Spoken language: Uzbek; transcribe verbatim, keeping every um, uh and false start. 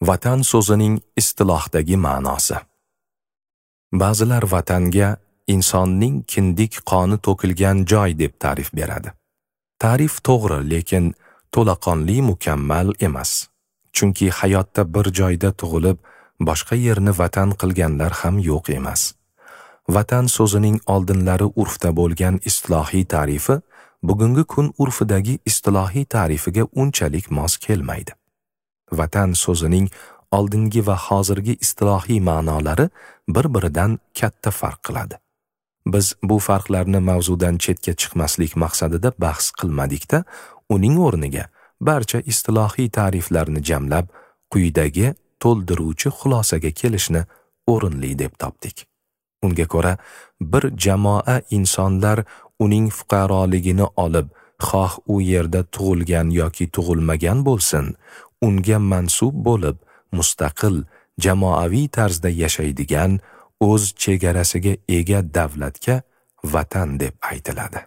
Vatan so'zining istilohdagi ma'nosi. Ba'zilar vatanga insonning kindik qoni to'kilgan joy deb ta'rif beradi. Ta'rif to'g'ri, lekin to'laqonli mukammal emas. Chunki hayotda bir joyda tug'ilib, boshqa yerni vatan qilganlar ham yo'q emas. Vatan so'zining oldinlari urfda bo'lgan istilohiy ta'rifi bugungi kun urfidagi istilohiy ta'rifiga unchalik mos kelmaydi. Vatan so'zining oldingi va hozirgi istilohiy ma'nolari bir-biridan katta farq qiladi. Biz bu farqlarni mavzudan chetga chiqmaslik maqsadida bahs qilmadikda, uning o'rniga barcha istilohiy ta'riflarni jamlab, quyidagi to'ldiruvchi xulosaga kelishni o'rinli deb topdik. Unga ko'ra, bir jamoa insonlar uning fuqaroligini olib, xoh u yerda tug'ilgan yoki tug'ilmagan bo'lsin, unga mansub bo'lib, mustaqil, jamoaviy tarzda yashaydigan, o'z chegarasiga ega davlatga vatan deb aytiladi.